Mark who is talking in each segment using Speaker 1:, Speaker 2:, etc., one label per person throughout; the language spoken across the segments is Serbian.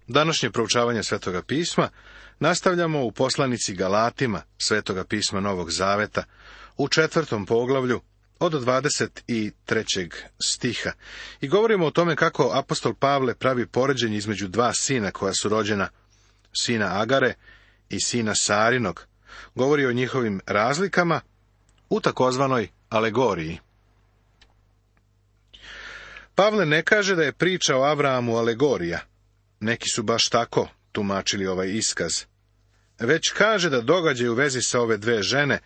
Speaker 1: Današnje proučavanje Svetoga pisma nastavljamo u poslanici Galatima Svetoga pisma Novog Zaveta u 4. poglavlju od 23. stiha i govorimo o tome kako apostol Pavle pravi poređenje između dva sina koja su rođena, sina Agare i sina Sarinog. Govori o njihovim razlikama u takozvanoj alegoriji. Pavle ne kaže da je priča o Avrahamu alegorija, neki su baš tako tumačili ovaj iskaz, već kaže da događaj u vezi sa ove dve žene,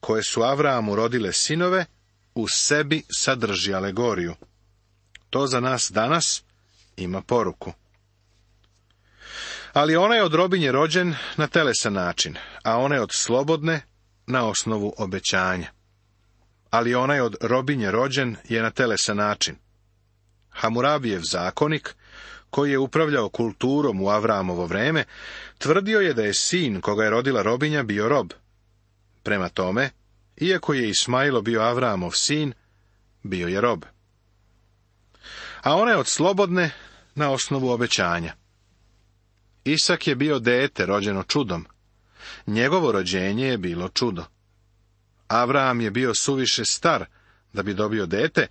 Speaker 1: koje su Avrahamu rodile sinove, u sebi sadrži alegoriju. To za nas danas ima poruku. Ali onaj je od robinje rođen na telesan način, a onaj od slobodne na osnovu obećanja. Ali onaj od robinje rođen je na telesan način. Hamurabijev zakonik, koji je upravljao kulturom u Avrahamovo vreme, tvrdio je da je sin koga je rodila robinja bio rob. Prema tome, iako je Ismailo bio Avrahamov sin, bio je rob. A ona je od slobodne na osnovu obećanja. Isak je bio dete rođeno čudom. Njegovo rođenje je bilo čudo. Avraham je bio suviše star da bi dobio dete,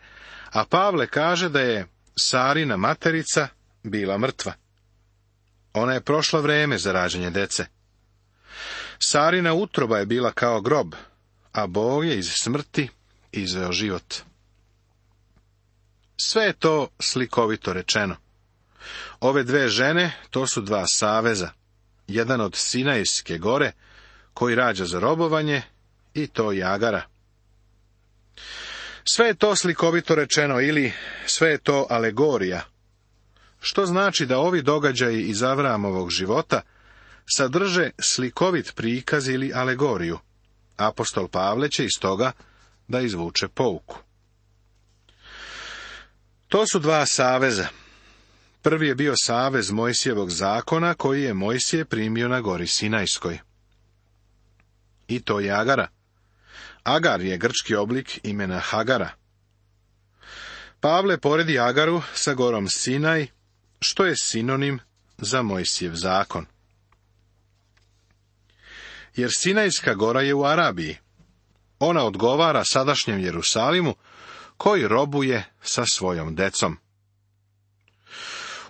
Speaker 1: a Pavle kaže da je Sarina materica bila mrtva. Ona je prošla vreme za rađanje dece. Sarina utroba je bila kao grob, a Bog je iz smrti izveo život. Sve je to slikovito rečeno. Ove dve žene, to su dva saveza, jedan od Sinajske gore, koji rađa za robovanje, i to je Agara. Sve je to slikovito rečeno, ili sve je to alegorija, što znači da ovi događaji iz Avrahamovog života sadrže slikovit prikaz ili alegoriju. Apostol Pavle će iz toga da izvuče pouku. To su dva saveza. Prvi je bio savez Mojsijevog zakona, koji je Mojsije primio na gori Sinajskoj. I to je Agara. Agar je grčki oblik imena Hagara. Pavle poredi Agaru sa gorom Sinaj, što je sinonim za Mojsijev zakon. Jer Sinajska gora je u Arabiji. Ona odgovara sadašnjem Jerusalimu, koji robuje sa svojom decom.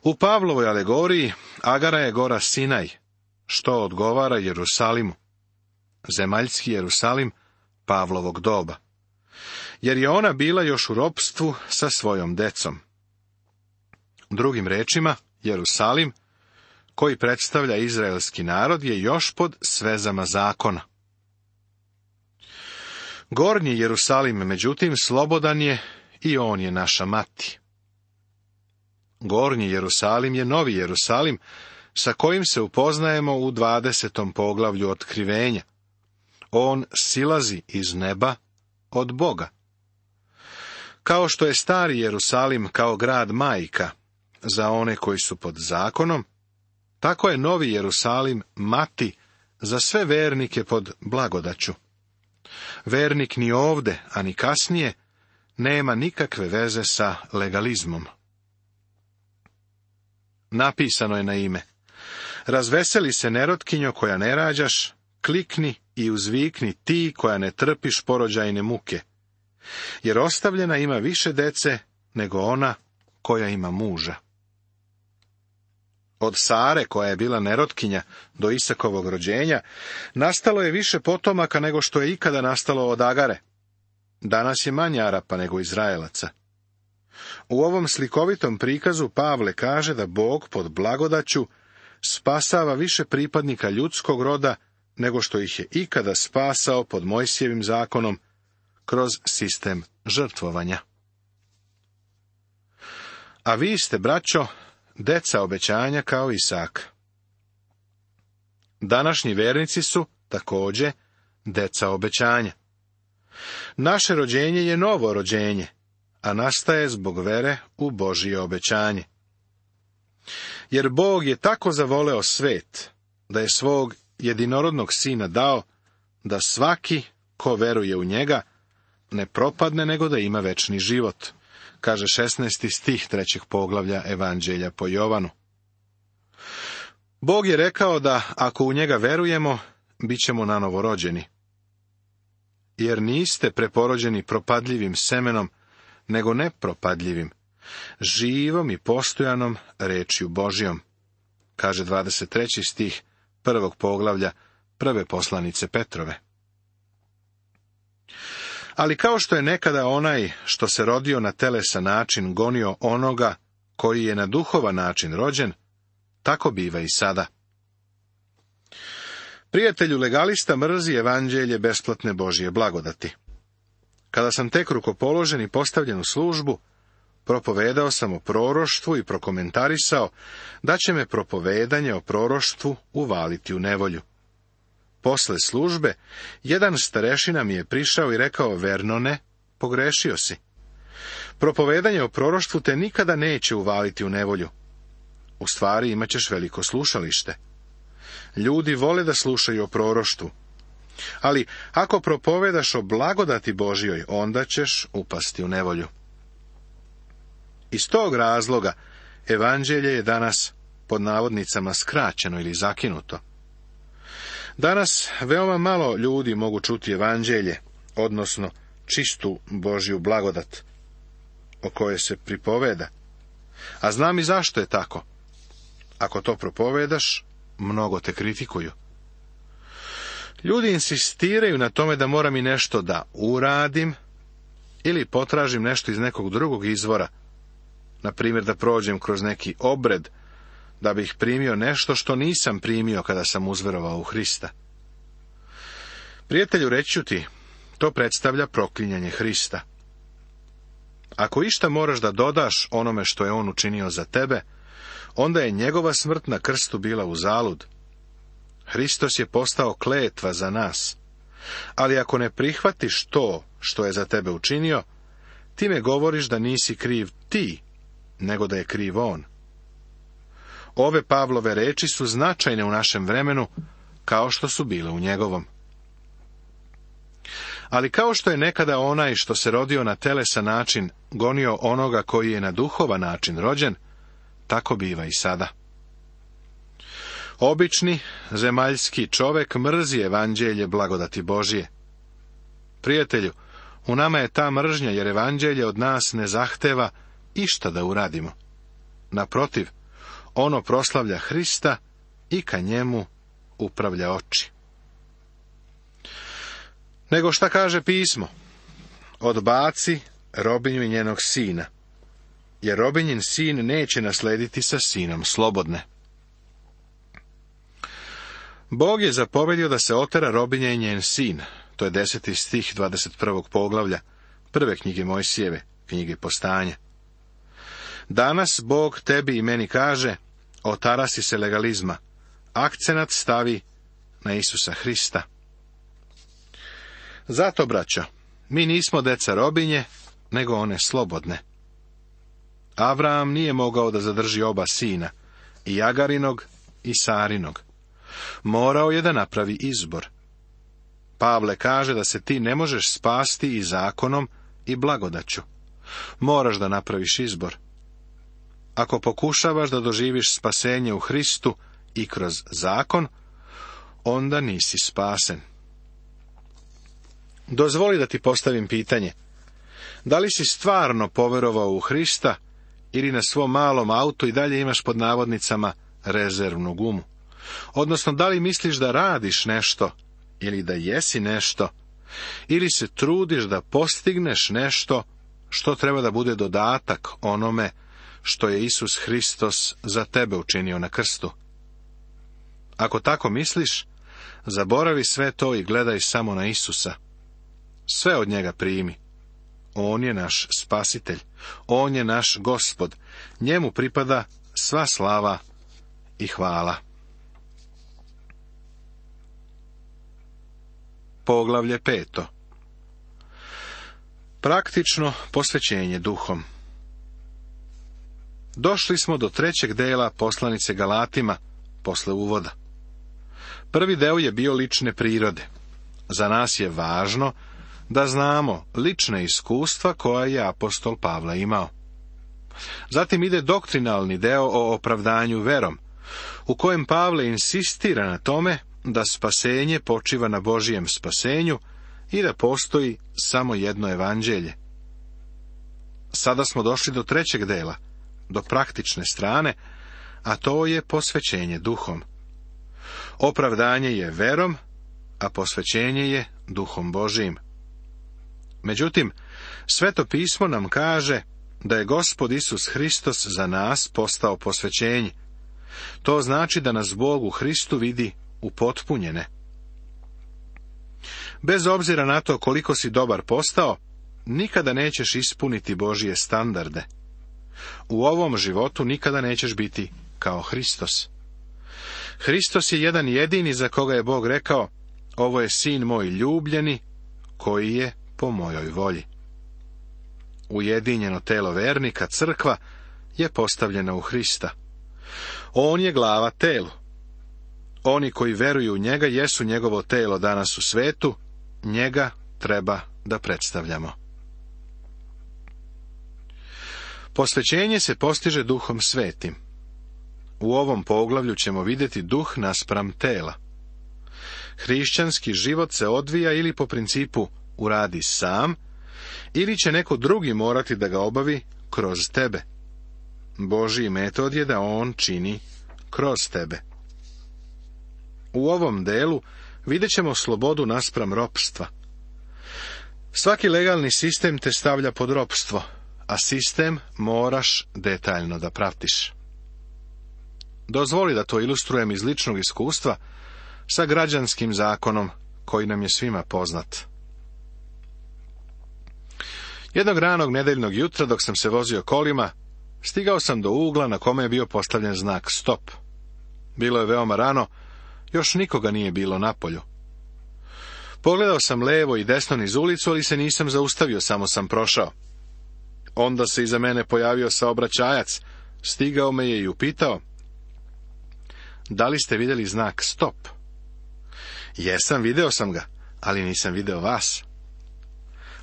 Speaker 1: U Pavlovoj alegoriji Agara je gora Sinaj, što odgovara Jerusalimu, zemaljski Jerusalim Pavlovog doba, jer je ona bila još u ropstvu sa svojom decom. Drugim rečima, Jerusalim, koji predstavlja izraelski narod, je još pod svezama zakona. Gornji Jerusalim, međutim, slobodan je i on je naša mati. Gornji Jerusalim je novi Jerusalim, sa kojim se upoznajemo u 20. poglavlju Otkrivenja. On silazi iz neba od Boga. Kao što je stari Jerusalim kao grad majka za one koji su pod zakonom, tako je novi Jerusalim mati za sve vernike pod blagodaću. Vernik ni ovde, a ni kasnije, nema nikakve veze sa legalizmom. Napisano je na ime: razveseli se nerotkinjo koja ne rađaš, klikni i uzvikni ti koja ne trpiš porođajne muke, jer ostavljena ima više dece nego ona koja ima muža. Od Sare, koja je bila nerotkinja do Isakovog rođenja, nastalo je više potomaka nego što je ikada nastalo od Agare. Danas je manje Arapa nego Izraelaca. U ovom slikovitom prikazu Pavle kaže da Bog pod blagodaću spasava više pripadnika ljudskog roda nego što ih je ikada spasao pod Mojsijevim zakonom kroz sistem žrtvovanja. A vi ste, braćo, deca obećanja kao Isak. Današnji vernici su također deca obećanja. Naše rođenje je novo rođenje, a nastaje zbog vere u Božje obećanje. Jer Bog je tako zavoleo svet, da je svog jedinorodnog sina dao, da svaki ko veruje u njega ne propadne, nego da ima večni život, kaže 16. stih 3. poglavlja Evanđelja po Jovanu. Bog je rekao da ako u njega verujemo, bit ćemo nanovo rođeni. Jer niste preporođeni propadljivim semenom, nego nepropadljivim, živom i postojanom rečju Božjom, kaže 23. stih 1. poglavlja 1. poslanice Petrove. Ali kao što je nekada onaj što se rodio na telesan način gonio onoga koji je na duhovan način rođen, tako biva i sada. Prijatelju legalista mrzi evanđelje besplatne Božje blagodati. Kada sam tek rukopoložen i postavljen u službu, propovedao sam o proroštvu i prokomentarisao da će me propovedanje o proroštvu uvaliti u nevolju. Posle službe, jedan starešina mi je prišao i rekao: Vernone, pogrešio si. Propovedanje o proroštvu te nikada neće uvaliti u nevolju. U stvari imat ćeš veliko slušalište. Ljudi vole da slušaju o proroštvu. Ali ako propovedaš o blagodati Božjoj, onda ćeš upasti u nevolju. Iz tog razloga evanđelje je danas pod navodnicama skraćeno ili zakinuto. Danas veoma malo ljudi mogu čuti evanđelje, odnosno čistu Božju blagodat, o kojoj se pripoveda. A znam i zašto je tako. Ako to propovedaš, mnogo te kritikuju. Ljudi insistiraju na tome da moram i nešto da uradim ili potražim nešto iz nekog drugog izvora, na primjer da prođem kroz neki obred, da bih primio nešto što nisam primio kada sam uzverovao u Hrista. Prijatelju, reći ću ti, to predstavlja proklinjanje Hrista. Ako išta moraš da dodaš onome što je on učinio za tebe, onda je njegova smrt na krstu bila uzalud. Hristos je postao kletva za nas. Ali ako ne prihvatiš to što je za tebe učinio, time govoriš da nisi kriv ti, nego da je kriv on. Ove Pavlove reči su značajne u našem vremenu, kao što su bile u njegovom. Ali kao što je nekada onaj što se rodio na telesan način gonio onoga koji je na duhovan način rođen, tako biva i sada. Obični, zemaljski čovek mrzi evanđelje blagodati Božje. Prijatelju, u nama je ta mržnja, jer evanđelje od nas ne zahteva išta da uradimo. Naprotiv, ono proslavlja Hrista i ka njemu upravlja oči. Nego šta kaže pismo? Odbaci robinju i njenog sina, jer robinjin sin neće naslediti sa sinom slobodne. Bog je zapovedio da se otera robinja i njen sin. To je 10. stih 21. poglavlja prve knjige Mojsijeve, knjige Postanja. Danas Bog tebi i meni kaže: otarasi se legalizma, akcenat stavi na Isusa Hrista. Zato, braćo, mi nismo deca robinje, nego one slobodne. Avraam nije mogao da zadrži oba sina, i Agarinog i Sarinog. Morao je da napravi izbor. Pavle kaže da se ti ne možeš spasti i zakonom i blagodaću. Moraš da napraviš izbor. Ako pokušavaš da doživiš spasenje u Hristu i kroz zakon, onda nisi spasen. Dozvoli da ti postavim pitanje. Da li si stvarno poverovao u Hrista ili na svom malom autu i dalje imaš pod navodnicama rezervnu gumu? Odnosno, da li misliš da radiš nešto ili da jesi nešto, ili se trudiš da postigneš nešto što treba da bude dodatak onome što je Isus Hristos za tebe učinio na krstu? Ako tako misliš, zaboravi sve to i gledaj samo na Isusa. Sve od njega primi. On je naš spasitelj. On je naš Gospod. Njemu pripada sva slava i hvala. Poglavlje 5. Praktično posvećenje duhom. Došli smo do 3. dela poslanice Galatima, posle uvoda. Prvi deo je bio lične prirode. Za nas je važno da znamo lične iskustva koja je apostol Pavle imao. Zatim ide doktrinalni deo o opravdanju verom, u kojem Pavle insistira na tome da spasenje počiva na Božijem spasenju i da postoji samo jedno evanđelje. Sada smo došli do trećeg dela, do praktične strane, a to je posvećenje duhom. Opravdanje je verom, a posvećenje je duhom Božijim. Međutim, Sveto pismo nam kaže da je Gospod Isus Hristos za nas postao posvećenje. To znači da nas Bog u Hristu vidi upotpunjene. Bez obzira na to koliko si dobar postao, nikada nećeš ispuniti Božije standarde. U ovom životu nikada nećeš biti kao Hristos. Hristos je jedan jedini za koga je Bog rekao: ovo je sin moj ljubljeni, koji je po mojoj volji. Ujedinjeno telo vernika, crkva, je postavljena u Hrista. On je glava telu. Oni koji veruju u njega jesu njegovo telo danas u svetu, njega treba da predstavljamo. Posvećenje se postiže Duhom Svetim. U ovom poglavlju ćemo vidjeti duh naspram tela. Hrišćanski život se odvija ili po principu uradi sam, ili će neko drugi morati da ga obavi kroz tebe. Božji metod je da on čini kroz tebe. U ovom delu vidjet ćemo slobodu naspram ropstva. Svaki legalni sistem te stavlja pod ropstvo, a sistem moraš detaljno da pratiš. Dozvoli da to ilustrujem iz ličnog iskustva sa građanskim zakonom koji nam je svima poznat. Jednog ranog nedeljnog jutra, dok sam se vozio kolima, stigao sam do ugla na kome je bio postavljen znak stop. Bilo je veoma rano, još nikoga nije bilo napolju. Pogledao sam levo i desno niz ulicu, ali se nisam zaustavio, samo sam prošao. Onda se iza mene pojavio saobraćajac, stigao me je i upitao: da li ste vidjeli znak stop? Jesam, video sam ga, ali nisam video vas.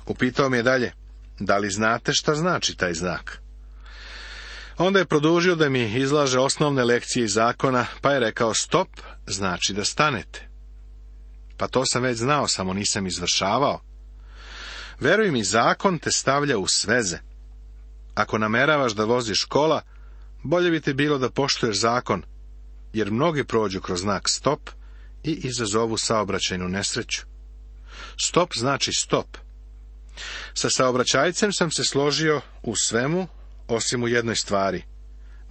Speaker 1: Upitao me je dalje: da li znate šta znači taj znak? Onda je produžio da mi izlaže osnovne lekcije iz zakona, pa je rekao: stop znači da stanete. Pa to sam već znao, samo nisam izvršavao. Veruj mi, zakon te stavlja u sveze. Ako nameravaš da voziš kola, bolje bi ti bilo da poštuješ zakon, jer mnogi prođu kroz znak stop i izazovu saobraćajnu nesreću. Stop znači stop. Sa saobraćajcem sam se složio u svemu, osim u jednoj stvari.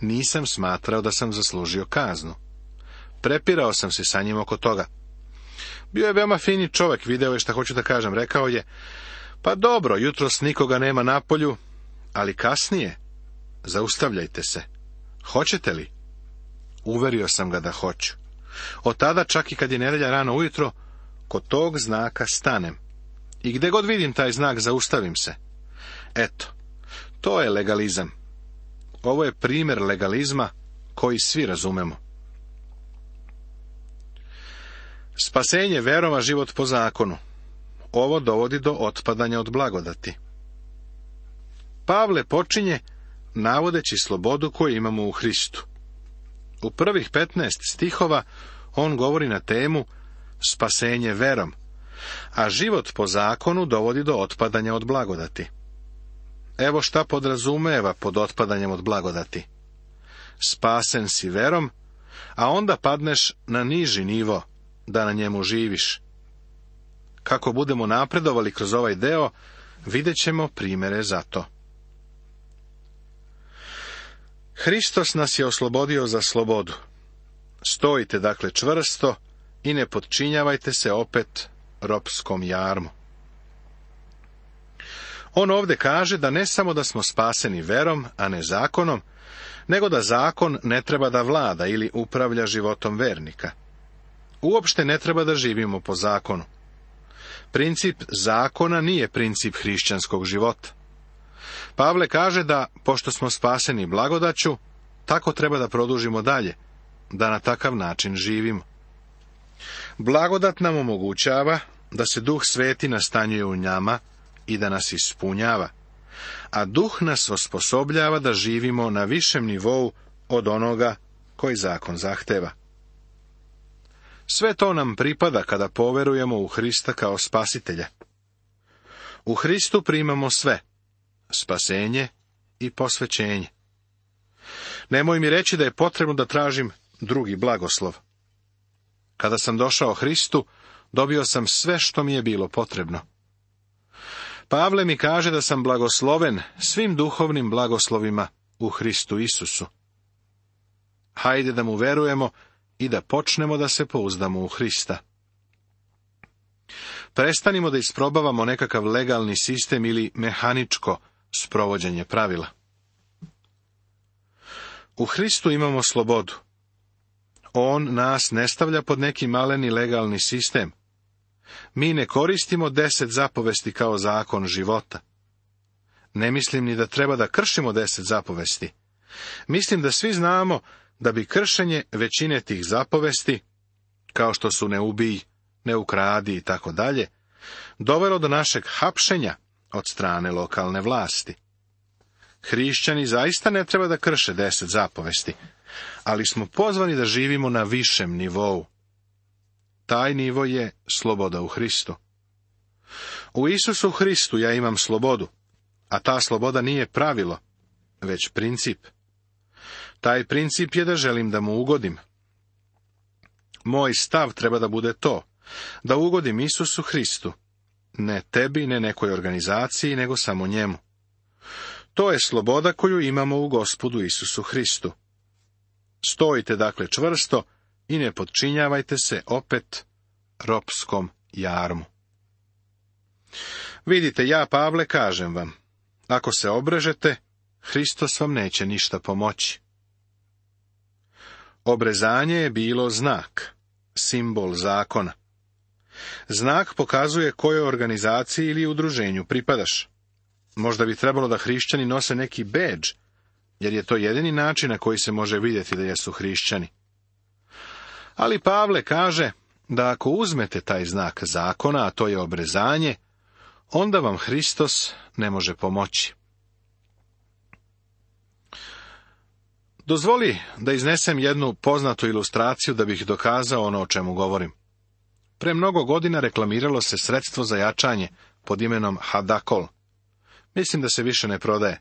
Speaker 1: Nisam smatrao da sam zaslužio kaznu. Prepirao sam se sa njim oko toga. Bio je veoma fini čovjek, video je šta hoću da kažem. Rekao je: pa dobro, jutros nikoga nema napolju, ali kasnije zaustavljajte se. Hoćete li? Uverio sam ga da hoću. Od tada, čak i kad je nedjelja rano ujutro, kod tog znaka stanem. I gdje god vidim taj znak, zaustavim se. Eto, to je legalizam. Ovo je primjer legalizma koji svi razumemo. Spasenje verom, a život po zakonu. Ovo dovodi do otpadanja od blagodati. Pavle počinje navodeći slobodu koju imamo u Hristu. U prvih 15 stihova on govori na temu spasenje verom, a život po zakonu dovodi do otpadanja od blagodati. Evo šta podrazumeva pod otpadanjem od blagodati. Spasen si verom, a onda padneš na niži nivo, da na njemu živiš. Kako budemo napredovali kroz ovaj deo, vidjet ćemo primjere za to. Hristos nas je oslobodio za slobodu. Stojite dakle čvrsto i ne podčinjavajte se opet ropskom jarmu. On ovdje kaže da ne samo da smo spaseni verom, a ne zakonom, nego da zakon ne treba da vlada ili upravlja životom vernika. Uopšte ne treba da živimo po zakonu. Princip zakona nije princip hrišćanskog života. Pavle kaže da, pošto smo spaseni blagodaću, tako treba da produžimo dalje, da na takav način živimo. Blagodat nam omogućava da se Duh Sveti nastanjuje u nama i da nas ispunjava, a Duh nas osposobljava da živimo na višem nivou od onoga koji zakon zahteva. Sve to nam pripada kada poverujemo u Hrista kao spasitelja. U Hristu primamo sve, spasenje i posvećenje. Nemoj mi reći da je potrebno da tražim drugi blagoslov. Kada sam došao Hristu, dobio sam sve što mi je bilo potrebno. Pavle mi kaže da sam blagosloven svim duhovnim blagoslovima u Hristu Isusu. Hajde da mu verujemo i da počnemo da se pouzdamo u Hrista. Prestanimo da isprobavamo nekakav legalni sistem ili mehaničko sprovođenje pravila. U Hristu imamo slobodu. On nas ne stavlja pod neki maleni legalni sistem. Mi ne koristimo 10 zapovesti kao zakon života. Ne mislim ni da treba da kršimo 10 zapovesti. Mislim da svi znamo da bi kršenje većine tih zapovesti, kao što su ne ubij, ne ukradi i tako dalje, dovelo do našeg hapšenja od strane lokalne vlasti. Hrišćani zaista ne treba da krše 10 zapovesti, ali smo pozvani da živimo na višem nivou. Taj nivo je sloboda u Hristu. U Isusu Hristu ja imam slobodu, a ta sloboda nije pravilo, već princip. Taj princip je da želim da mu ugodim. Moj stav treba da bude to, da ugodim Isusu Hristu, ne tebi, ne nekoj organizaciji, nego samo njemu. To je sloboda koju imamo u Gospodu Isusu Hristu. Stojite dakle čvrsto i ne podčinjavajte se opet ropskom jarmu. Vidite, ja, Pavle, kažem vam, ako se obrežete, Hristos vam neće ništa pomoći. Obrezanje je bilo znak, simbol zakona. Znak pokazuje kojoj organizaciji ili udruženju pripadaš. Možda bi trebalo da hrišćani nose neki bedž, jer je to jedini način na koji se može vidjeti da jesu hrišćani. Ali Pavle kaže da ako uzmete taj znak zakona, a to je obrezanje, onda vam Hristos ne može pomoći. Dozvoli da iznesem jednu poznatu ilustraciju da bih dokazao ono o čemu govorim. Pre mnogo godina reklamiralo se sredstvo za jačanje pod imenom Hadakol. Mislim da se više ne prodaje.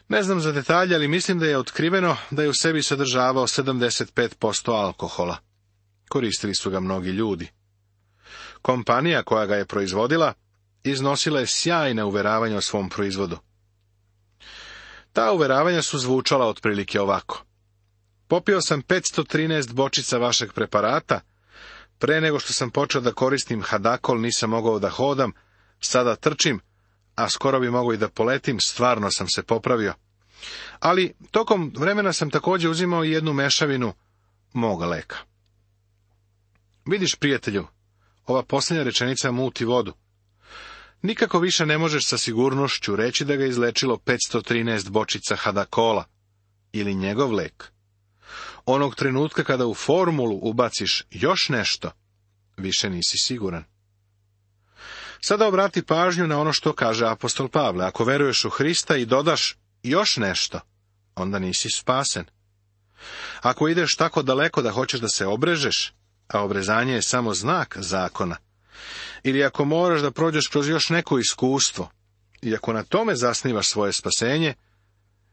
Speaker 1: Ne znam za detalje, ali mislim da je otkriveno da je u sebi sadržavao 75% alkohola. Koristili su ga mnogi ljudi. Kompanija koja ga je proizvodila iznosila je sjajne uveravanja o svom proizvodu. Ta uveravanja su zvučala otprilike ovako. Popio sam 513 bočica vašeg preparata, pre nego što sam počeo da koristim Hadakol nisam mogao da hodam, sada trčim, a skoro bi mogao i da poletim, stvarno sam se popravio. Ali tokom vremena sam također uzimao i jednu mešavinu moga leka. Vidiš, prijatelju, ova posljednja rečenica muti vodu. Nikako više ne možeš sa sigurnošću reći da ga izlečilo 513 bočica Hadakola ili njegov lek. Onog trenutka kada u formulu ubaciš još nešto, više nisi siguran. Sada obrati pažnju na ono što kaže apostol Pavle. Ako veruješ u Hrista i dodaš još nešto, onda nisi spasen. Ako ideš tako daleko da hoćeš da se obrežeš, a obrezanje je samo znak zakona, ili ako moraš da prođeš kroz još neko iskustvo, i ako na tome zasnivaš svoje spasenje,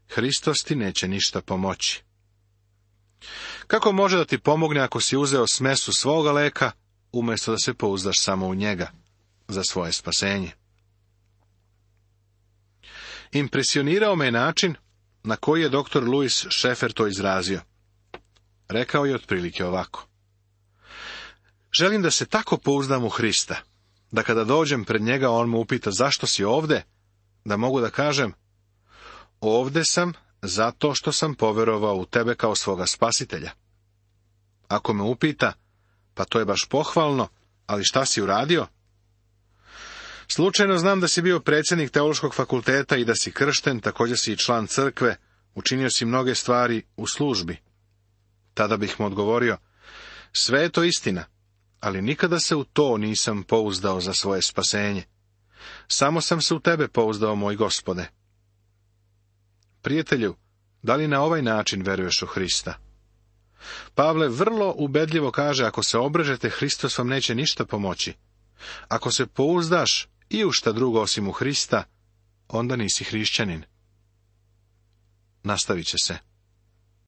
Speaker 1: Hristos ti neće ništa pomoći. Kako može da ti pomogne ako si uzeo smesu svoga leka, umjesto da se pouzdaš samo u njega za svoje spasenje? Impresionirao me je način na koji je dr. Louis Schaeffer to izrazio. Rekao je otprilike ovako. Želim da se tako pouzdam u Hrista, da kada dođem pred njega on me upita zašto si ovde, da mogu da kažem, ovde sam zato što sam poverovao u tebe kao svoga spasitelja. Ako me upita, pa to je baš pohvalno, ali šta si uradio? Slučajno znam da si bio predsjednik teološkog fakulteta i da si kršten, također si i član crkve, učinio si mnoge stvari u službi. Tada bih mu odgovorio, sve je to istina, ali nikada se u to nisam pouzdao za svoje spasenje. Samo sam se u tebe pouzdao, moj Gospode. Prijatelju, Da li na ovaj način veruješ u Hrista? Pavle vrlo ubedljivo kaže, ako se obrežete, Hristos vam neće ništa pomoći. Ako se pouzdaš i u šta drugo osim u Hrista, onda nisi hrišćanin. Nastavit će se.